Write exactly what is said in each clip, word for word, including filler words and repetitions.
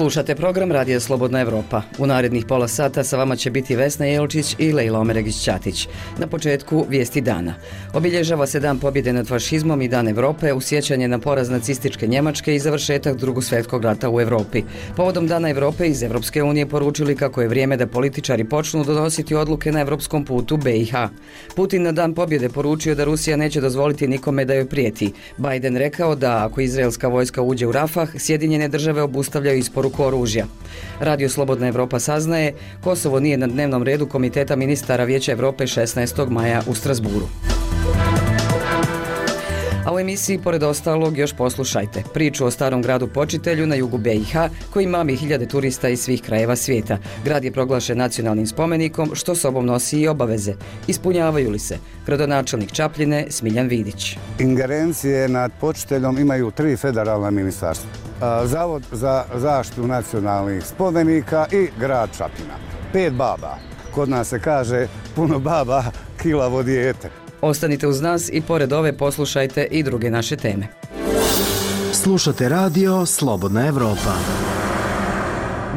Slušate program Radija Slobodna Evropa. U narednih pola sata sa vama će biti Vesna Jelčić i Lejla Omeregić-Ćatić. Na početku vijesti dana. Obilježava se Dan pobjede nad fašizmom i Dan Evrope u sjećanje na poraz nacističke Njemačke i završetak Drugog svjetskog rata u Evropi. Povodom Dana Evrope iz Evropske unije poručili kako je vrijeme da političari počnu donositi odluke na evropskom putu be i ha. Putin na Dan pobjede poručio da Rusija neće dozvoliti nikome da joj prijeti. Biden rekao da ako izraelska vojska uđe u Rafah, Sjedinjene države obustavljaju isporuku oružja. Radio Slobodna Evropa saznaje, Kosovo nije na dnevnom redu Komiteta ministara Vijeća Evrope šesnaestog maja u Strasburu. A u emisiji, pored ostalog, još poslušajte priču o starom gradu Počitelju na jugu be i ha, koji mami hiljade turista iz svih krajeva svijeta. Grad je proglašen nacionalnim spomenikom, što sobom nosi i obaveze. Ispunjavaju li se? Gradonačelnik Čapljine Smiljan Vidić. Ingerencije nad Počiteljom imaju tri federalna ministarstva. Zavod za zaštitu nacionalnih spomenika i grad Čapljina. Pet baba. Kod nas se kaže puno baba, kilavo dijete. Ostanite uz nas i pored ove poslušajte i druge naše teme. Slušate radio Slobodna Evropa.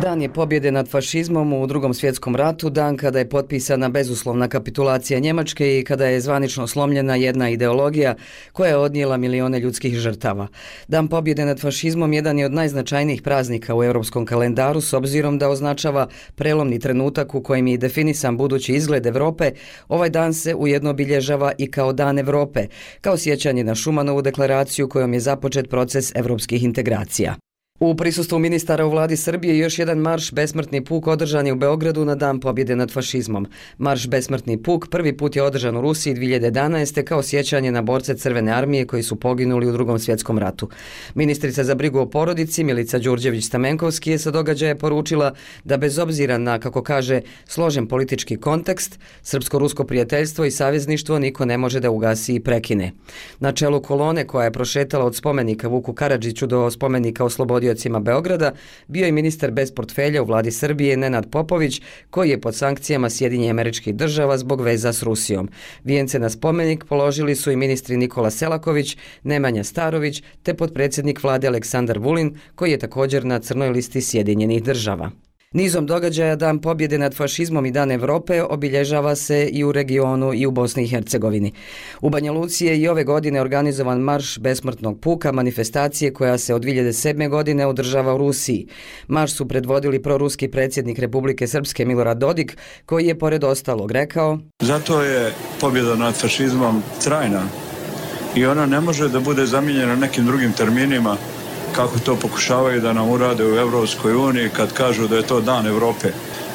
Dan je pobjede nad fašizmom u Drugom svjetskom ratu, dan kada je potpisana bezuslovna kapitulacija Njemačke i kada je zvanično slomljena jedna ideologija koja je odnijela milione ljudskih žrtava. Dan pobjede nad fašizmom jedan je od najznačajnijih praznika u europskom kalendaru s obzirom da označava prelomni trenutak u kojem je definisan budući izgled Evrope. Ovaj dan se ujedno obilježava i kao Dan Evrope, kao sjećanje na Šumanovu deklaraciju kojom je započet proces evropskih integracija. U prisustvu ministara u vladi Srbije još jedan marš Besmrtni puk održan je u Beogradu na Dan pobjede nad fašizmom. Marš Besmrtni puk prvi put je održan u Rusiji dvije hiljade jedanaeste kao sjećanje na borce Crvene armije koji su poginuli u Drugom svjetskom ratu. Ministrica za brigu o porodici Milica Đurđević-Stamenkovski je sa događaja poručila da bez obzira na, kako kaže, složen politički kontekst, srpsko-rusko prijateljstvo i savezništvo niko ne može da ugasi i prekine. Na čelu kolone koja je prošetala od spomenika Vuku Karadžiću do spomenika Oslobodiocima Beograda bio je ministar bez portfelja u vladi Srbije Nenad Popović, koji je pod sankcijama Sjedinjenih Američkih Država zbog veza s Rusijom. Vijence na spomenik položili su i ministri Nikola Selaković, Nemanja Starović te potpredsjednik vlade Aleksandar Vulin, koji je također na crnoj listi Sjedinjenih Država. Nizom događaja Dan pobjede nad fašizmom i Dan Evrope obilježava se i u regionu i u Bosni i Hercegovini. U Banja Luci je i ove godine organizovan marš Besmrtnog puka, manifestacije koja se od dvije hiljade sedme. godine održava u Rusiji. Marš su predvodili proruski predsjednik Republike Srpske Milorad Dodik, koji je pored ostalog rekao: Zato je pobjeda nad fašizmom trajna i ona ne može da bude zamijenjena nekim drugim terminima kako to pokušavaju da nam urade u Evropskoj uniji kad kažu da je to Dan Evrope.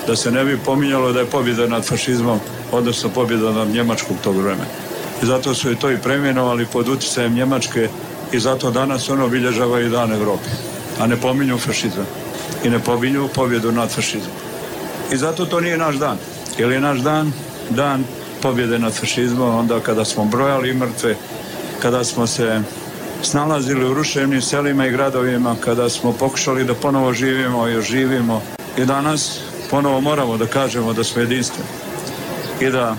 Da se ne bi pominjalo da je pobjeda nad fašizmom, odnosno pobjeda nad Njemačkom tog vremena. I zato su i to i preimenovali pod utjecajem Njemačke i zato danas ono obilježava i Dan Evrope. A ne pominju fašizam i ne pominju pobjedu nad fašizmom. I zato to nije naš dan. Jer je naš dan dan pobjede nad fašizmom onda kada smo brojali mrtve, kada smo se snalazili u ruševnim selima i gradovima, kada smo pokušali da ponovo živimo i oživimo. I danas ponovo moramo da kažemo da smo jedinstveni i da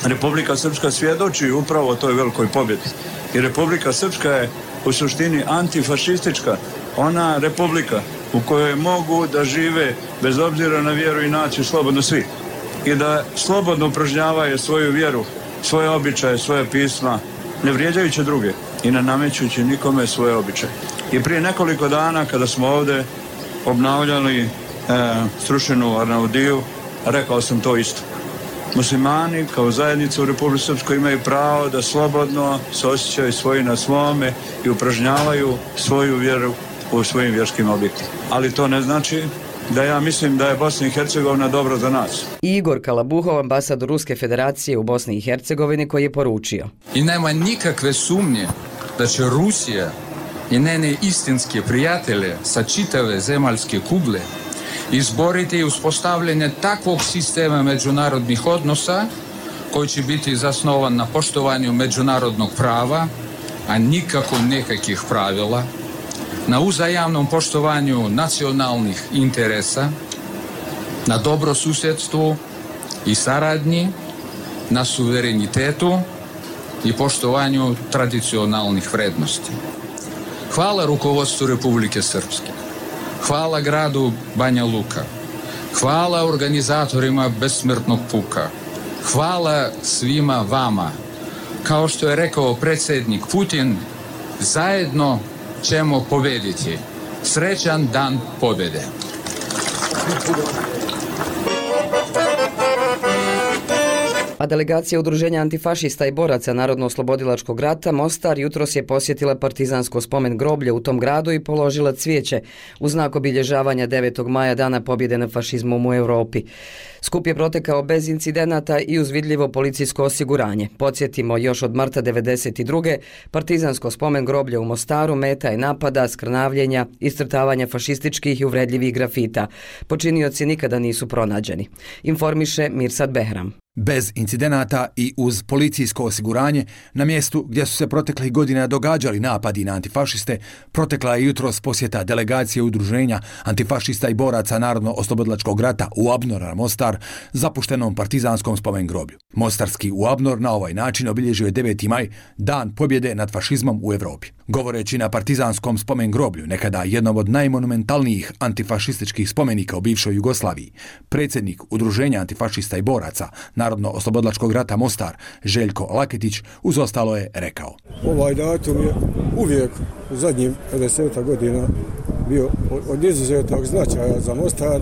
Republika Srpska svjedoči upravo o toj velikoj pobjedi. I Republika Srpska je u suštini antifašistička, ona republika u kojoj mogu da žive bez obzira na vjeru i naciju slobodno svi i da slobodno upražnjavaju svoju vjeru, svoje običaje, svoje pisma, ne vrijeđajući druge i ne namećući nikome svoje običaje. I prije nekoliko dana kada smo ovdje obnavljali e, srušenu Arnaudiju, rekao sam to isto. Muslimani kao zajednica u Republici Srpskoj imaju pravo da slobodno se osjećaju svoji na svome i upražnjavaju svoju vjeru u svojim vjerskim objektima. Ali to ne znači da ja mislim da je Bosna i Hercegovina dobro za nas. Igor Kalabuhov, ambasador Ruske federacije u Bosni i Hercegovini, koji je poručio: I nema nikakve sumnje da će Rusija i njene istinske prijatelje sa čitave zemaljske kugle izboriti uspostavljanje takvog sistema međunarodnih odnosa koji će biti zasnovan na poštovanju međunarodnog prava, a nikako nekakvih pravila, na uzajamnom poštovanju nacionalnih interesa, na dobrosusjedstvu i saradnji, na suverenitetu i poštovanju tradicionalnih vrednosti. Hvala rukovodstvu Republike Srpske. Hvala gradu Banja Luka. Hvala organizatorima Besmrtnog puka. Hvala svima vama. Kao što je rekao predsjednik Putin, zajedno ćemo pobediti. Srećan dan pobjede. A delegacija Udruženja antifašista i boraca Narodno-oslobodilačkog rata Mostar jutros je posjetila partizansko spomen groblje u tom gradu i položila cvijeće u znak obilježavanja devetog maja, dana pobjede nad fašizmom u Europi. Skup je protekao bez incidenata i uz vidljivo policijsko osiguranje. Podsjetimo, još od marta devedeset druge partizansko spomen groblje u Mostaru meta je napada, skrnavljenja, iscrtavanja fašističkih i uvredljivih grafita. Počinioci nikada nisu pronađeni. Informiše Mirsad Behram. Bez incidenata i uz policijsko osiguranje, na mjestu gdje su se proteklih godina događali napadi na antifašiste, protekla je jutros posjeta delegacije Udruženja antifašista i boraca Narodno-oslobodilačkog rata u Abnora Mostar, zapuštenom partizanskom spomen groblju. Mostarski u Abnor na ovaj način obilježio je deveti maj, dan pobjede nad fašizmom u Europi. Govoreći na partizanskom spomen groblju, nekada jednom od najmonumentalnijih antifašističkih spomenika u bivšoj Jugoslaviji, predsjednik Udruženja antifašista i boraca Narodno-oslobodilačkog rata Mostar, Željko Laketić, uz ostalo je rekao: Ovaj datum je uvijek u zadnjih pedeset godina bio od izuzetnog značaja za Mostar,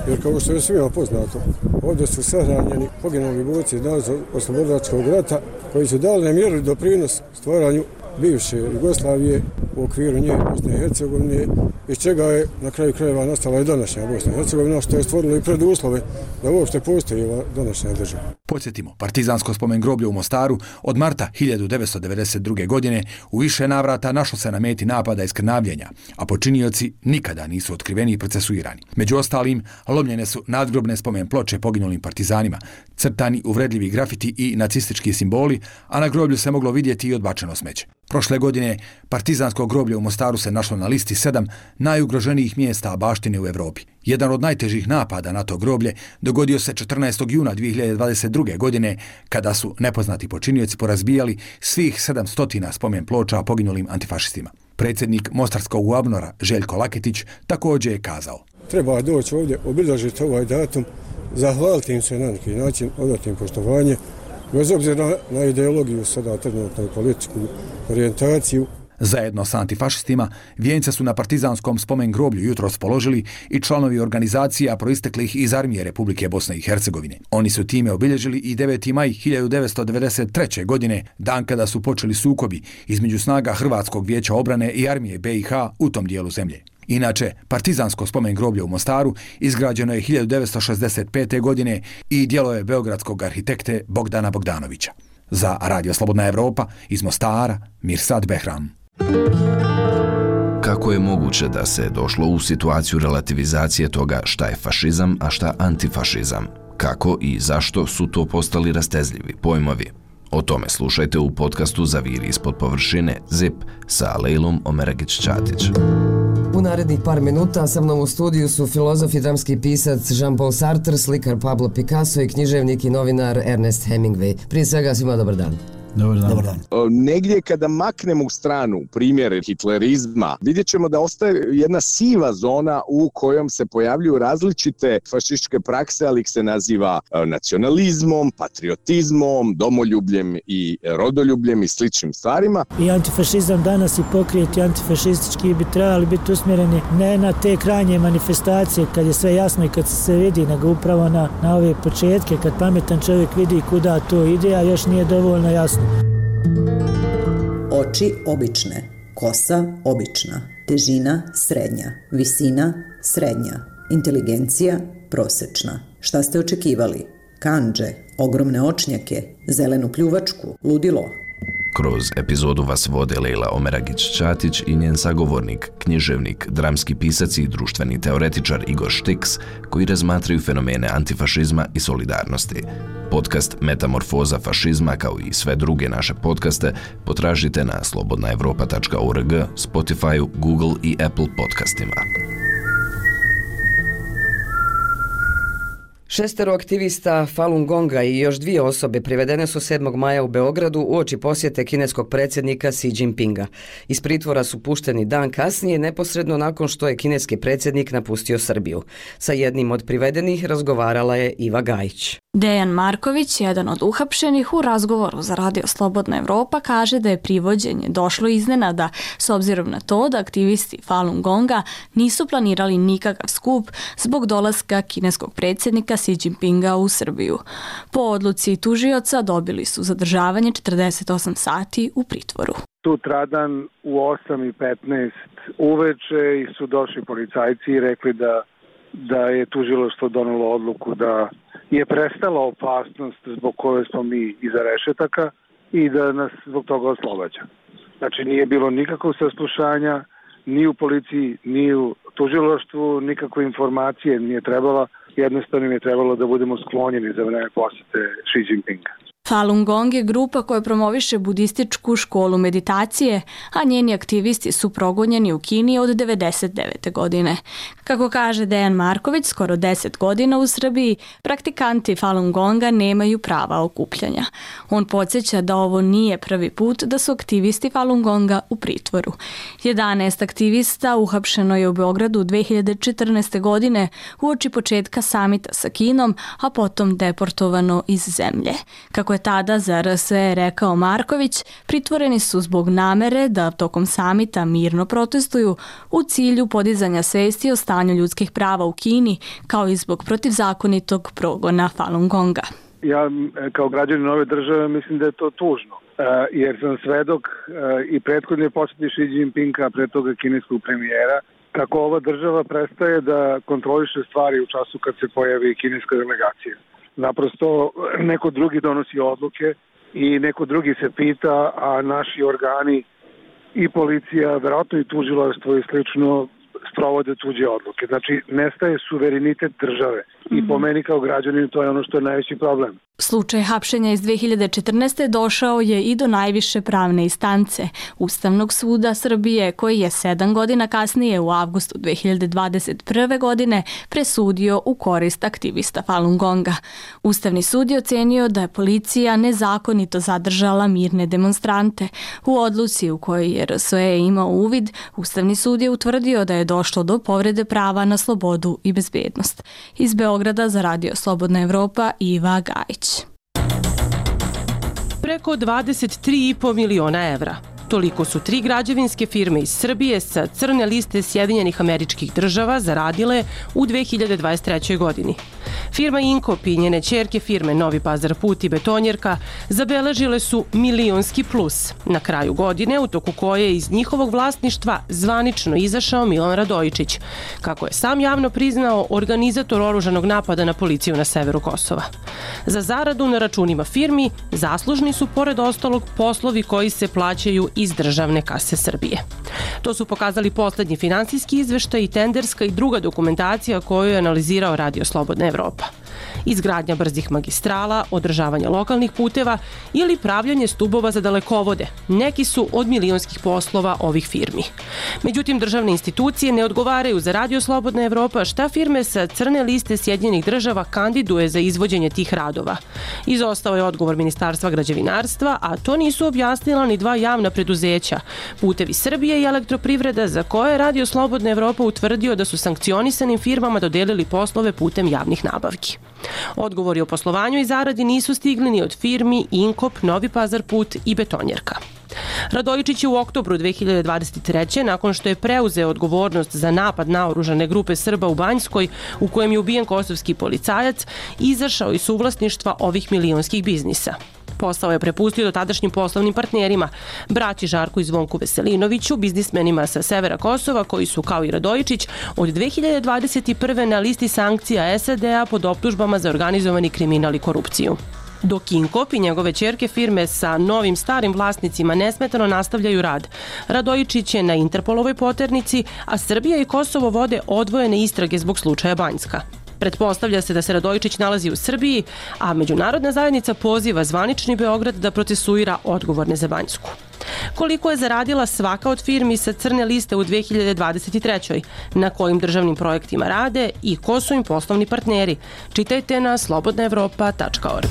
jer kao što je svima poznato, ovdje su sahranjeni poginuli borci Narodno-oslobodilačkog rata koji su dali nemjerljiv doprinos stvaranju bivše Jugoslavije u okviru nje Bosne i Hercegovine, iz čega je na kraju krajeva nastala i današnja Bosna i Hercegovina, što je stvorilo i preduslove da uopšte postoji ova današnja država. Podsjetimo, partizansko spomen groblje u Mostaru od marta hiljadu devetsto devedeset druge. godine u više navrata našlo se na meti napada i skrnavljenja, a počinioci nikada nisu otkriveni i procesuirani. Među ostalim, lomljene su nadgrobne spomen ploče poginulim partizanima, crtani uvredljivi grafiti i nacistički simboli, a na groblju se moglo vidjeti i odbačeno smeće. Prošle godine partizansko groblje u Mostaru se našlo na listi sedam najugroženijih mjesta baštine u Europi. Jedan od najtežih napada na to groblje dogodio se četrnaestog juna dvije hiljade dvadeset druge. godine, kada su nepoznati počinioci porazbijali svih sedamsto spomen ploča poginulim antifašistima. Predsjednik Mostarskog Abnora Željko Laketić također je kazao: Treba doći ovdje, obilježiti ovaj datum, zahvaliti im se na neki način, odati im poštovanje, bez obzira na ideologiju, sada trenutno i političku orijentaciju. Zajedno sa antifašistima vijence su na partizanskom spomen groblju jutros položili i članovi organizacija proisteklih iz armije Republike Bosne i Hercegovine. Oni su time obilježili i deveti maj hiljadu devetsto devedeset treće. godine, dan kada su počeli sukobi između snaga Hrvatskog vijeća obrane i armije B i H u tom dijelu zemlje. Inače, partizansko spomen groblje u Mostaru izgrađeno je hiljadu devetsto šezdeset pete. godine i djelo je beogradskog arhitekte Bogdana Bogdanovića. Za Radio Slobodna Evropa iz Mostara, Mirsad Behram. Kako je moguće da se došlo u situaciju relativizacije toga šta je fašizam, a šta antifašizam? Kako i zašto su to postali rastezljivi pojmovi? O tome slušajte u podcastu Zaviri ispod površine ZIP sa Lejlom Omeragić-Ćatić. U narednih par minuta sa mnom u studiju su filozof i dramski pisac Jean-Paul Sartre, slikar Pablo Picasso i književnik i novinar Ernest Hemingway. Prije svega svima dobar dan. Dobar dan. Dobar dan. Negdje kada maknemo u stranu primjer hitlerizma, vidjet ćemo da ostaje jedna siva zona u kojom se pojavljuju različite fašističke prakse, ali ih se naziva nacionalizmom, patriotizmom, domoljubljem i rodoljubljem i sličnim stvarima. I antifašizam danas i pokret i antifašistički bi trebali biti usmjereni ne na te krajnje manifestacije kad je sve jasno i kad se vidi, nego upravo na, na ove početke kad pametan čovjek vidi kuda to ide, a još nije dovoljno jasno. Oči obične, kosa obična, težina srednja, visina srednja, inteligencija prosječna. Šta ste očekivali? Kandže, ogromne očnjake, zelenu pljuvačku, ludilo. Kroz epizodu vas vode Lejla Omeragić-Ćatić i njen sagovornik, književnik, dramski pisac i društveni teoretičar Igor Štiks, koji razmatraju fenomene antifašizma i solidarnosti. Podcast Metamorfoza fašizma, kao i sve druge naše podcaste, potražite na slobodna evropa tačka org, Spotify, Google i Apple podcastima. Šestero aktivista Falun Gonga i još dvije osobe privedene su sedmog maja u Beogradu uoči posjete kineskog predsjednika Xi Jinpinga. Iz pritvora su pušteni dan kasnije, neposredno nakon što je kineski predsjednik napustio Srbiju. Sa jednim od privedenih razgovarala je Iva Gajić. Dejan Marković, jedan od uhapšenih, u razgovoru za Radio Slobodna Evropa kaže da je privođenje došlo iznenada s obzirom na to da aktivisti Falun Gonga nisu planirali nikakav skup zbog dolaska kineskog predsjednika Xi Jinpinga u Srbiju. Po odluci tužioca dobili su zadržavanje četrdeset osam sati u pritvoru. Sutradan u osam i petnaest uveče su došli policajci i rekli da, da je tužilaštvo donelo odluku da je prestala opasnost zbog koje smo mi iza rešetaka i da nas zbog toga oslobađa. Znači nije bilo nikakvog saslušanja, ni u policiji, ni u tužilaštvu, nikakve informacije nije trebala, jednostavno je trebalo da budemo sklonjeni za vreme posjete Xi Jinpinga. Falun Gong je grupa koja promoviše budističku školu meditacije, a njeni aktivisti su progonjeni u Kini od devedeset devete. godine. Kako kaže Dejan Marković, skoro deset godina u Srbiji praktikanti Falun Gonga nemaju prava okupljanja. On podsjeća da ovo nije prvi put da su aktivisti Falun Gonga u pritvoru. jedanaest aktivista uhapšeno je u Beogradu dve hiljade četrnaeste. godine uoči početka samita sa Kinom, a potom deportovano iz zemlje. Kako je tada za R S E rekao Marković, pritvoreni su zbog namere da tokom samita mirno protestuju u cilju podizanja svesti o stanju ljudskih prava u Kini, kao i zbog protivzakonitog progona Falun Gonga. Ja kao građanin ove države mislim da je to tužno, jer sam svedok i prethodne posjete Xi Jinpinga, pre toga kineskog premijera, kako ova država prestaje da kontroliše stvari u času kad se pojavi kineska delegacija. Naprosto neko drugi donosi odluke i neko drugi se pita, a naši organi i policija, verovatno i tužilaštvo i slično sprovode tuđe odluke. Znači, nestaje suverenitet države. I po meni kao građanin to je ono što je najveći problem. Slučaj hapšenja iz dve hiljade četrnaeste. došao je i do najviše pravne instance, Ustavnog suda Srbije, koji je sedam godina kasnije u avgustu dve hiljade dvadeset prve. godine presudio u korist aktivista Falun Gonga. Ustavni sud je ocenio da je policija nezakonito zadržala mirne demonstrante. U odluci u kojoj je R S E imao uvid, Ustavni sud je utvrdio da je došlo do povrede prava na slobodu i bezbednost. Iz Beograda za Radio Slobodna Evropa, Iva Gajić. Preko dvadeset tri i po miliona evra. Toliko su tri građevinske firme iz Srbije sa crne liste Sjedinjenih Američkih Država zaradile u dve hiljade dvadeset trećoj. godini. Firma Inkop i njene ćerke firme Novi Pazar put i Betonjerka zabeležile su milionski plus na kraju godine, u toku koje je iz njihovog vlasništva zvanično izašao Milan Radojičić, kako je sam javno priznao organizator oružanog napada na policiju na severu Kosova. Za zaradu na računima firmi zaslužni su pored ostalog poslovi koji se plaćaju iz državne kase Srbije. To su pokazali poslednji finansijski izveštaj i tenderska i druga dokumentacija koju je analizirao Radio Slobodna Evropa. Izgradnja brzih magistrala, održavanje lokalnih puteva ili pravljanje stubova za dalekovode. Neki su od milionskih poslova ovih firmi. Međutim, državne institucije ne odgovaraju za Radio Slobodna Evropa šta firme sa crne liste Sjedinjenih Država kandiduje za izvođenje tih radova. Izostao je odgovor Ministarstva građevinarstva, a to nisu objasnila ni dva javna preduzeća, Putevi Srbije i Elektroprivreda, za koje je Radio Slobodna Evropa utvrdio da su sankcionisanim firmama dodelili poslove putem javnih nabavki. Odgovori o poslovanju i zaradi nisu stigli ni od firmi Inkop, Novi Pazar put i Betonjerka. Radojičić je u oktobru dve hiljade dvadeset treće. nakon što je preuzeo odgovornost za napad na oružane grupe Srba u Banjskoj, u kojem je ubijen kosovski policajac, izašao iz suvlasništva ovih milionskih biznisa. Posao je prepustio do tadašnjim poslovnim partnerima, braći Žarku i Zvonku Veselinoviću, biznismenima sa severa Kosova, koji su, kao i Radojičić, od dve hiljade dvadeset prve. na listi sankcija S A D-a pod optužbama za organizovani kriminal i korupciju. Dok Inkop i njegove ćerke firme sa novim starim vlasnicima nesmetano nastavljaju rad. Radojičić je na Interpolovoj poternici, a Srbija i Kosovo vode odvojene istrage zbog slučaja Banjska. Pretpostavlja se da se Radojičić nalazi u Srbiji, a međunarodna zajednica poziva zvanični Beograd da procesuira odgovorne za Banjsku. Koliko je zaradila svaka od firmi sa crne liste u dve hiljade dvadeset trećoj Na kojim državnim projektima rade i ko su im poslovni partneri? Čitajte na slobodna evropa tačka org.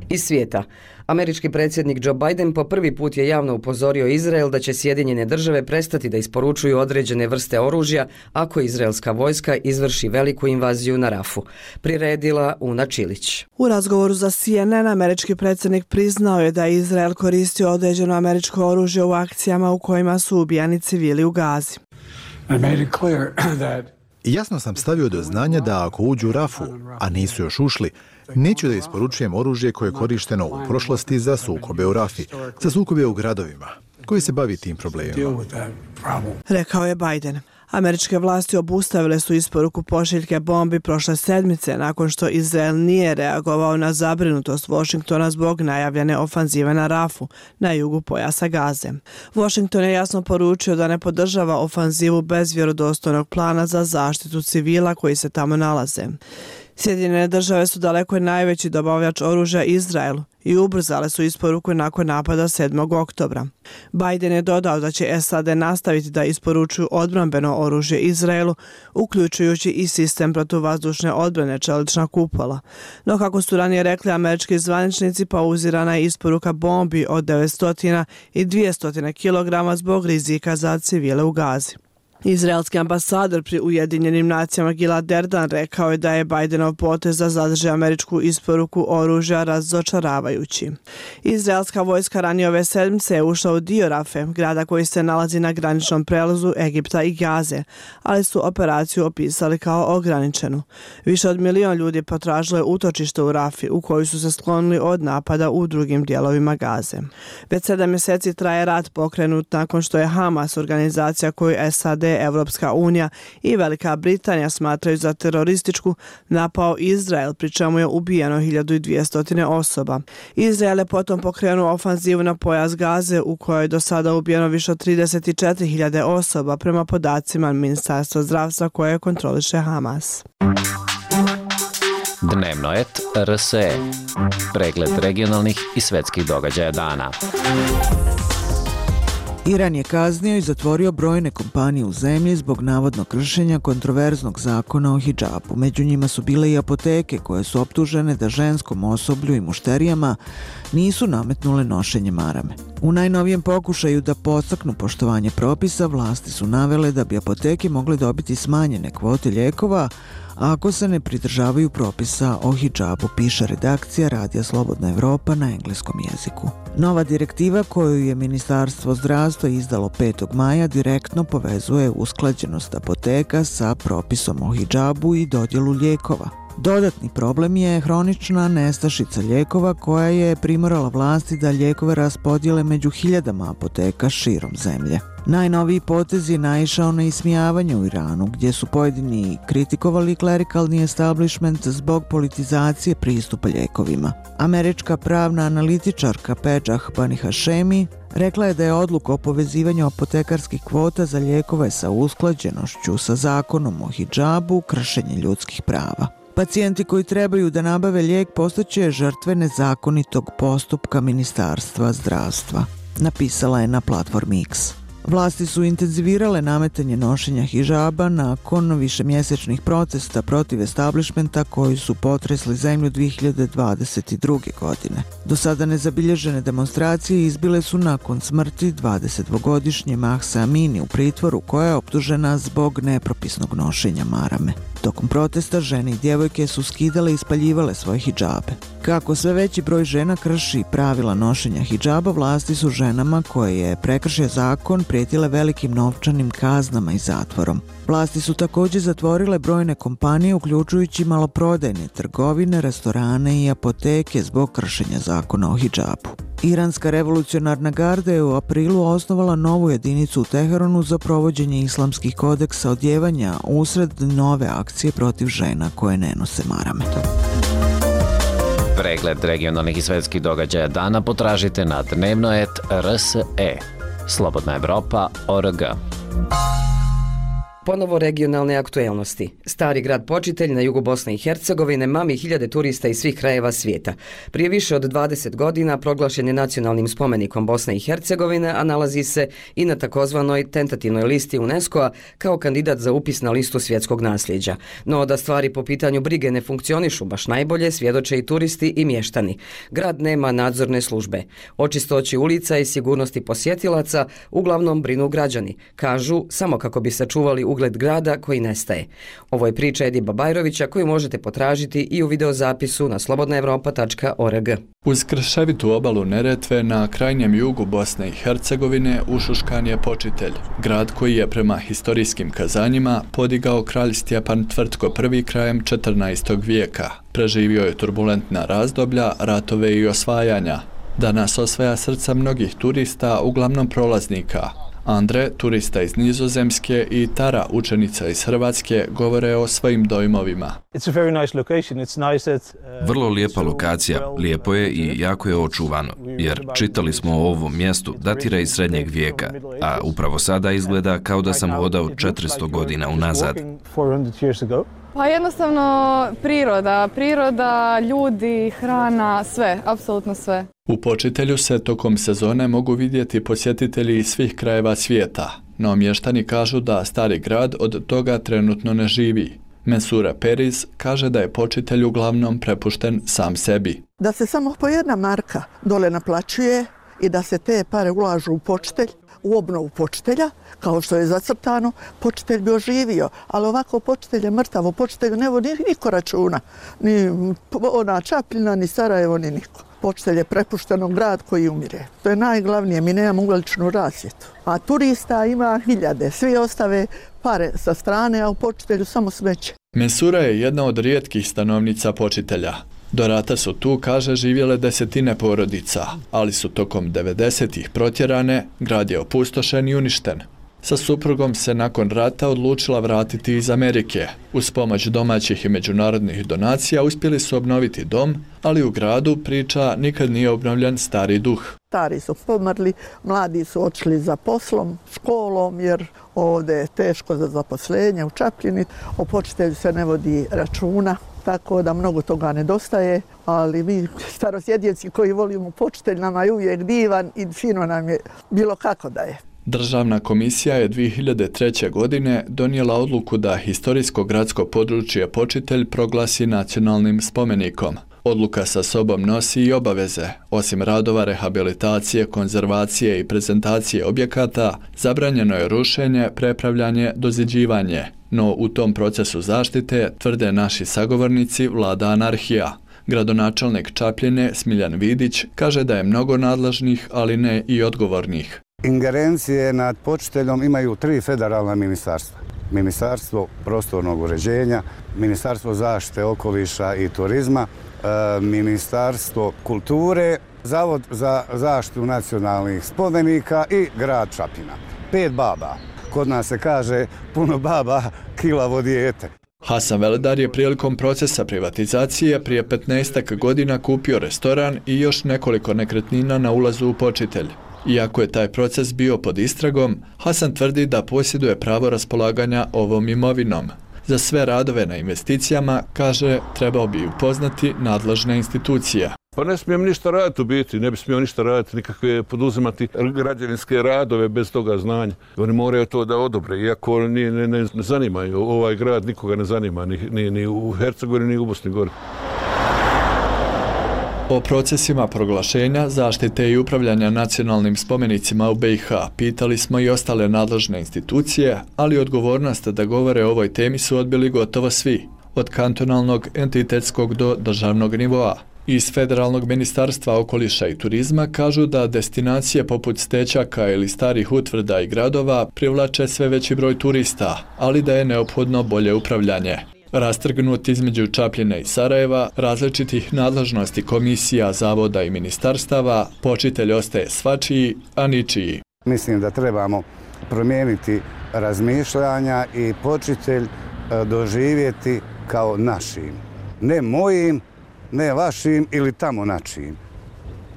Iz svijeta. Američki predsjednik Joe Biden po prvi put je javno upozorio Izrael da će Sjedinjene države prestati da isporučuju određene vrste oružja ako izraelska vojska izvrši veliku invaziju na Rafu. Priredila Una Čilić. U razgovoru za C N N američki predsjednik priznao je da je Izrael koristio određeno američko oružje u akcijama u kojima su ubijani civili u Gazi. Jasno sam stavio do znanja da ako uđu u Rafu, a nisu još ušli, neću da isporučujem oružje koje je korišteno u prošlosti za sukobe u Rafi, za sukobe u gradovima, koji se bavi tim problemima. Rekao je Biden. Američke vlasti obustavile su isporuku pošiljke bombi prošle sedmice nakon što Izrael nije reagovao na zabrinutost Washingtona zbog najavljene ofanzive na Rafu, na jugu pojasa Gaze. Washington je jasno poručio da ne podržava ofanzivu bez vjerodostojnog plana za zaštitu civila koji se tamo nalaze. Sjedinjene države su daleko najveći dobavljač oružja Izraelu i ubrzale su isporuku nakon napada sedmog oktobra. Biden je dodao da će S A D nastaviti da isporučuju odbrambeno oružje Izraelu, uključujući i sistem protuvazdušne odbrane čelična kupola. No kako su ranije rekli američki zvaničnici, pauzirana je isporuka bombi od devetsto i dvjesto kilograma zbog rizika za civile u Gazi. Izraelski ambasador pri Ujedinjenim nacijama Gilad Erdan rekao je da je Bidenov potez da zadrži američku isporuku oružja razočaravajući. Izraelska vojska ranije ove sedmice je ušla u dio Rafe, grada koji se nalazi na graničnom prelazu Egipta i Gaze, ali su operaciju opisali kao ograničenu. Više od milion ljudi potražilo je utočište u Rafi, u koju su se sklonili od napada u drugim dijelovima Gaze. Već sedam mjeseci traje rat pokrenut nakon što je Hamas, organizacija koju S A D, Evropska unija i Velika Britanija smatraju za terorističku, napao Izrael, pri čemu je ubijeno hiljadu dvjesto osoba. Izrael je potom pokrenuo ofanzivu na pojas Gaze u kojoj je do sada ubijeno više od trideset četiri hiljade osoba prema podacima Ministarstva zdravstva koje kontroliše Hamas. Dnevnoet R S E. Pregled regionalnih i svetskih događaja dana. Iran je kaznio i zatvorio brojne kompanije u zemlji zbog navodnog kršenja kontroverznog zakona o hidžabu. Među njima su bile i apoteke koje su optužene da ženskom osoblju i mušterijama nisu nametnule nošenje marame. U najnovijem pokušaju da podstaknu poštovanje propisa, vlasti su navele da bi apoteke mogle dobiti smanjene kvote lijekova ako se ne pridržavaju propisa o hidžabu, piše redakcija Radija Slobodna Evropa na engleskom jeziku. Nova direktiva koju je Ministarstvo zdravstva izdalo petog maja direktno povezuje usklađenost apoteka sa propisom o hidžabu i dodjelu lijekova. Dodatni problem je hronična nestašica lijekova koja je primorala vlasti da lijekove raspodijele među hiljadama apoteka širom zemlje. Najnoviji potez je naišao na ismijavanje u Iranu, gdje su pojedini kritikovali klerikalni establishment zbog politizacije pristupa lijekovima. Američka pravna analitičarka Pejah Bani Hashemi rekla je da je odluka o povezivanju apotekarskih kvota za lijekove sa usklađenošću sa zakonom o hidžabu kršenje ljudskih prava. Pacijenti koji trebaju da nabave lijek postaće žrtve nezakonitog postupka Ministarstva zdravstva, napisala je na platformi X. Vlasti su intenzivirale nametanje nošenja hidžaba nakon višemjesečnih protesta protiv establishmenta koji su potresli zemlju dvije hiljade dvadeset druge. godine. Do sada nezabilježene demonstracije izbile su nakon smrti dvadesetdvogodišnje Mahsa Amini u pritvoru koja je optužena zbog nepropisnog nošenja marame. Tokom protesta žene i djevojke su skidale i spaljivale svoje hidžabe. Kako sve veći broj žena krši pravila nošenja hidžaba, vlasti su ženama koje je prekršio zakon prijetile velikim novčanim kaznama i zatvorom. Vlasti su također zatvorile brojne kompanije, uključujući maloprodajne trgovine, restorane i apoteke zbog kršenja zakona o hidžabu. Iranska revolucionarna garda je u aprilu osnovala novu jedinicu u Teheranu za provođenje islamskih kodeksa odjevanja usred nove akcije protiv žena koje ne nose marame. Pregled regionalnih i svetskih događaja dana potražite na dnevnoet R S E. Slobodna Evropa, org. Ponovo regionalne aktuelnosti. Stari grad Počitelj na jugu Bosne i Hercegovine mami hiljade turista iz svih krajeva svijeta. Prije više od dvadeset godina proglašen je nacionalnim spomenikom Bosne i Hercegovine, a nalazi se i na takozvanoj tentativnoj listi UNESCO-a kao kandidat za upis na listu svjetskog nasljeđa. No da stvari po pitanju brige ne funkcionišu baš najbolje, svjedoče i turisti i mještani. Grad nema nadzorne službe. O čistoći ulica i sigurnosti posjetilaca uglavnom brinu građani. Kažu samo kako bi sačuvali ugled grada koji nestaje. Ovo je priča Ediba Bajrovića koju možete potražiti i u videozapisu na slobodna evropa tačka org. Uz krševitu obalu Neretve na krajnjem jugu Bosne i Hercegovine ušuškan je Počitelj, grad koji je prema historijskim kazanjima podigao kralj Stjepan Tvrtko prvi krajem četrnaestog vijeka. Preživio je turbulentna razdoblja, ratove i osvajanja. Danas osvaja srca mnogih turista, uglavnom prolaznika. Andre, turista iz Nizozemske, i Tara, učenica iz Hrvatske, govore o svojim dojmovima. Vrlo lijepa lokacija, lijepo je i jako je očuvano, jer čitali smo o ovom mjestu, datira iz srednjeg vijeka, a upravo sada izgleda kao da sam hodao četiristo godina unazad. Pa jednostavno priroda, priroda, ljudi, hrana, sve, apsolutno sve. U Počitelju se tokom sezone mogu vidjeti posjetitelji iz svih krajeva svijeta, no mještani kažu da stari grad od toga trenutno ne živi. Mensura Periz kaže da je Počitelj uglavnom prepušten sam sebi. Da se samo po jedna marka dole naplaćuje i da se te pare ulažu u Počitelj, u obnovu Počitelja, kao što je zacrtano, Počitelj bi oživio, ali ovako Počitelj je mrtavo, Počitelju ne vodi niko računa, ni ona Čapljina, ni Sarajevo, ni niko. Počitelj je prepušteno grad koji umire. To je najglavnije, mi nemamo uličnu rasvjetu. A turista ima hiljade, svi ostave pare sa strane, a u Počitelju samo smeće. Mensura je jedna od rijetkih stanovnica Počitelja. Do rata su tu, kaže, živjele desetine porodica, ali su tokom devedesetih protjerane, grad je opustošen i uništen. Sa suprugom se nakon rata odlučila vratiti iz Amerike. Uz pomoć domaćih i međunarodnih donacija uspjeli su obnoviti dom, ali u gradu, priča, nikad nije obnovljen stari duh. Stari su pomrli, mladi su otišli za poslom, školom, jer ovdje je teško za zaposlenje u Čapljini. O Počitelju se ne vodi računa, tako da mnogo toga nedostaje, ali mi starosjedinci koji volimo Počitelj, nama je uvijek divan i fino nam je bilo kako da je. Državna komisija je dvije hiljade treće. godine donijela odluku da historijsko gradsko područje Počitelj proglasi nacionalnim spomenikom. Odluka sa sobom nosi i obaveze. Osim radova rehabilitacije, konzervacije i prezentacije objekata, zabranjeno je rušenje, prepravljanje, doziđivanje. No u tom procesu zaštite, tvrde naši sagovornici, vlada anarhija. Gradonačelnik Čapljine Smiljan Vidić kaže da je mnogo nadležnih, ali ne i odgovornih. Ingerencije nad Počiteljom imaju tri federalna ministarstva. Ministarstvo prostornog uređenja, Ministarstvo zaštite okoliša i turizma, Ministarstvo kulture, Zavod za zaštitu nacionalnih spomenika i grad Čapljina. Pet baba. Kod nas se kaže puno baba, kilavo dijete. Hasan Veledar je prilikom procesa privatizacije prije petnaestak godina kupio restoran i još nekoliko nekretnina na ulazu u Počitelj. Iako je taj proces bio pod istragom, Hasan tvrdi da posjeduje pravo raspolaganja ovom imovinom. Za sve radove na investicijama, kaže, trebao bi upoznati nadležne institucije. Pa ne smijem ništa raditi u biti, ne bi smio ništa raditi, nikakve poduzimati građevinske radove bez toga znanja. Oni moraju to da odobre, iako ne, ne, ne zanimaju, ovaj grad nikoga ne zanima, ni, ni, ni u Hercegovini, ni u Bosni Gori. O procesima proglašenja, zaštite i upravljanja nacionalnim spomenicima u be i ha pitali smo i ostale nadležne institucije, ali odgovornost da govore o ovoj temi su odbili gotovo svi, od kantonalnog, entitetskog do državnog nivoa. Iz Federalnog ministarstva okoliša i turizma kažu da destinacije poput Stećaka ili starih utvrda i gradova privlače sve veći broj turista, ali da je neophodno bolje upravljanje. Rastrgnut između Čapljine i Sarajeva, različitih nadležnosti komisija, zavoda i ministarstava, Počitelj ostaje svačiji, a ničiji. Mislim da trebamo promijeniti razmišljanja i Počitelj doživjeti kao našim. Ne mojim, ne vašim ili tamo načim.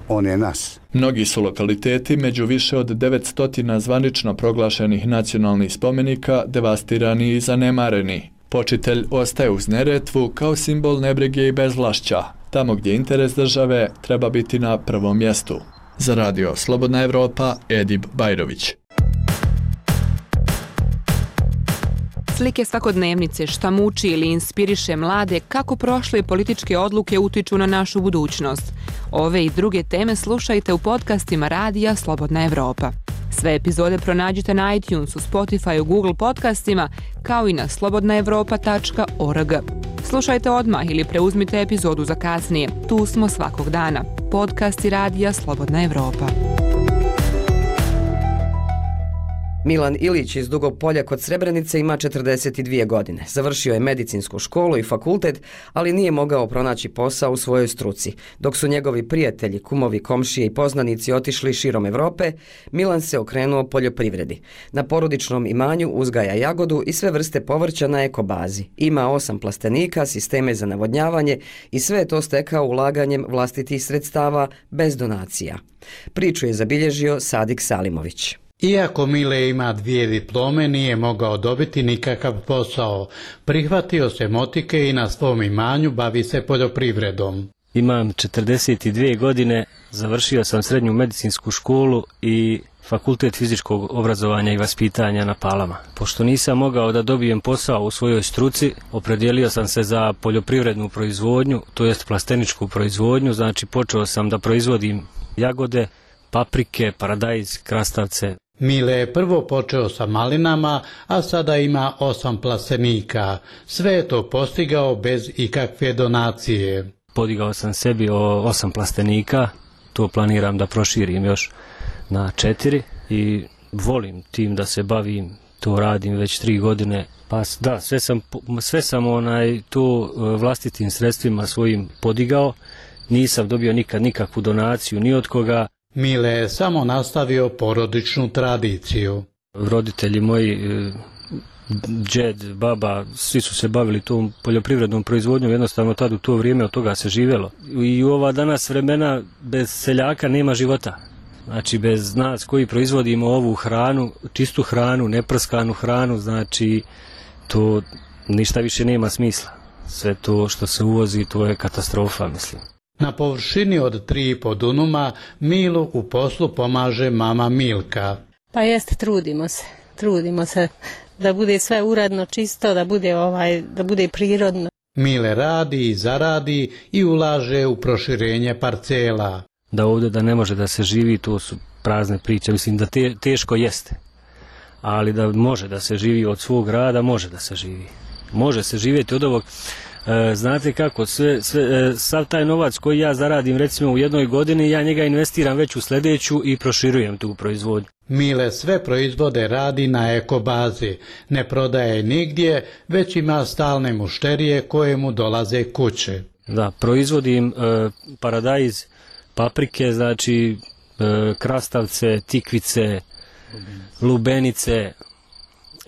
On je naš. Mnogi su lokaliteti među više od devetsto zvanično proglašenih nacionalnih spomenika devastirani i zanemareni. Počitelj ostaje uz Neretvu kao simbol nebrige i bezvlašća, tamo gdje interes države treba biti na prvom mjestu. Za radio Slobodna Evropa, Edib Bajrović. Slike svakodnevnice, šta muči ili inspiriše mlade, kako prošle političke odluke utiču na našu budućnost. Ove i druge teme slušajte u podcastima radija Slobodna Evropa. Sve epizode pronađite na iTunesu, Spotifyu, Google podcastima, kao i na slobodna evropa tačka org. Slušajte odmah ili preuzmite epizodu za kasnije. Tu smo svakog dana. Podcasti radija Slobodna Evropa. Milan Ilić iz Dugog Polja kod Srebrenice ima četrdeset dvije godine. Završio je medicinsku školu i fakultet, ali nije mogao pronaći posao u svojoj struci. Dok su njegovi prijatelji, kumovi, komšije i poznanici otišli širom Evrope, Milan se okrenuo poljoprivredi. Na porodičnom imanju uzgaja jagodu i sve vrste povrća na ekobazi. Ima osam plastenika, sisteme za navodnjavanje i sve je to stekao ulaganjem vlastitih sredstava bez donacija. Priču je zabilježio Sadik Salimović. Iako Mile ima dvije diplome, nije mogao dobiti nikakav posao. Prihvatio se motike i na svom imanju bavi se poljoprivredom. Imam četrdeset dvije godine, završio sam srednju medicinsku školu i fakultet fizičkog obrazovanja i vaspitanja na Palama. Pošto nisam mogao da dobijem posao u svojoj struci, opredijelio sam se za poljoprivrednu proizvodnju, to jest plasteničku proizvodnju, znači počeo sam da proizvodim jagode, paprike, paradajz, krastavce. Mile je prvo počeo sa malinama, a sada ima osam plastenika. Sve je to postigao bez ikakve donacije. Podigao sam sebi o osam plastenika, to planiram da proširim još na četiri i volim tim da se bavim, to radim već tri godine. Pa da, sve sam, sve sam onaj, to vlastitim sredstvima svojim podigao, nisam dobio nikad nikakvu donaciju ni od koga. Mile je samo nastavio porodičnu tradiciju. Roditelji moji, džed, baba, svi su se bavili tom poljoprivrednom proizvodnjom, jednostavno tad u to vrijeme od toga se živjelo. I u ova danas vremena bez seljaka nema života. Znači bez nas koji proizvodimo ovu hranu, čistu hranu, neprskanu hranu, znači to ništa više nema smisla. Sve to što se uvozi, to je katastrofa, mislim. Na površini od tri i po dunuma Milu u poslu pomaže mama Milka. Pa jeste, trudimo se, trudimo se da bude sve uredno, čisto, da bude ovaj, da bude prirodno. Mile radi i zaradi i ulaže u proširenje parcela. Da ovdje da ne može da se živi, to su prazne priče, mislim da te, teško jeste. Ali da može da se živi od svog rada, može da se živi. Može se živjeti od ovog. Znate kako, sve, sve, sav taj novac koji ja zaradim recimo u jednoj godini, ja njega investiram već u sljedeću i proširujem tu proizvodnju. Mile sve proizvode radi na ekobazi, ne prodaje nigdje, već ima stalne mušterije koje mu dolaze kuće. Da, proizvodim e, paradajz, paprike, znači e, krastavce, tikvice, lubenice,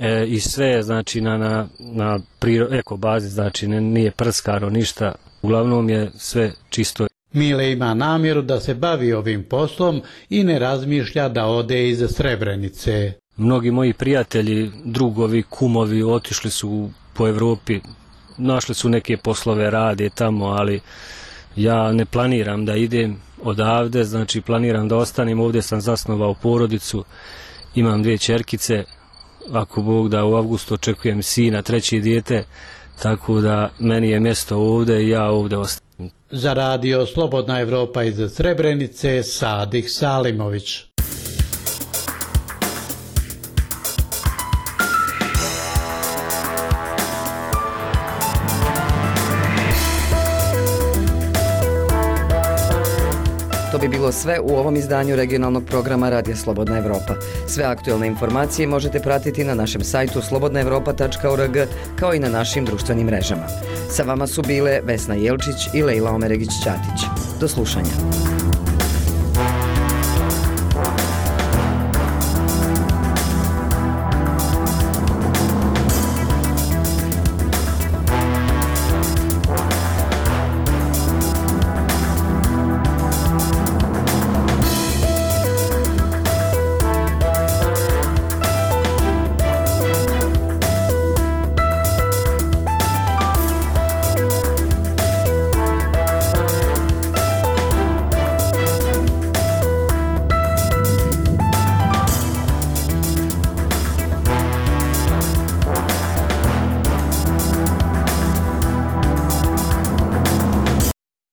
E, i sve znači na, na, na priro, eko bazi, znači ne, nije prskano ništa, uglavnom je sve čisto. Mile ima namjeru da se bavi ovim poslom i ne razmišlja da ode iz Srebrenice. Mnogi moji prijatelji, drugovi, kumovi otišli su po Evropi, našli su neke poslove, rade tamo, ali ja ne planiram da idem odavde, znači planiram da ostanem, ovdje sam zasnovao porodicu, imam dvije ćerkice, ako Bog da u avgustu očekujem sina, treće dijete, tako da meni je mjesto ovdje i ja ovdje ostajem. Za radio Slobodna Evropa iz Srebrenice, Sadik Salimović. To bi bilo sve u ovom izdanju regionalnog programa Radija Slobodna Evropa. Sve aktuelne informacije možete pratiti na našem sajtu slobodna evropa tačka org kao i na našim društvenim mrežama. Sa vama su bile Vesna Jelčić i Lejla Omeregić-Ćatić. Do slušanja.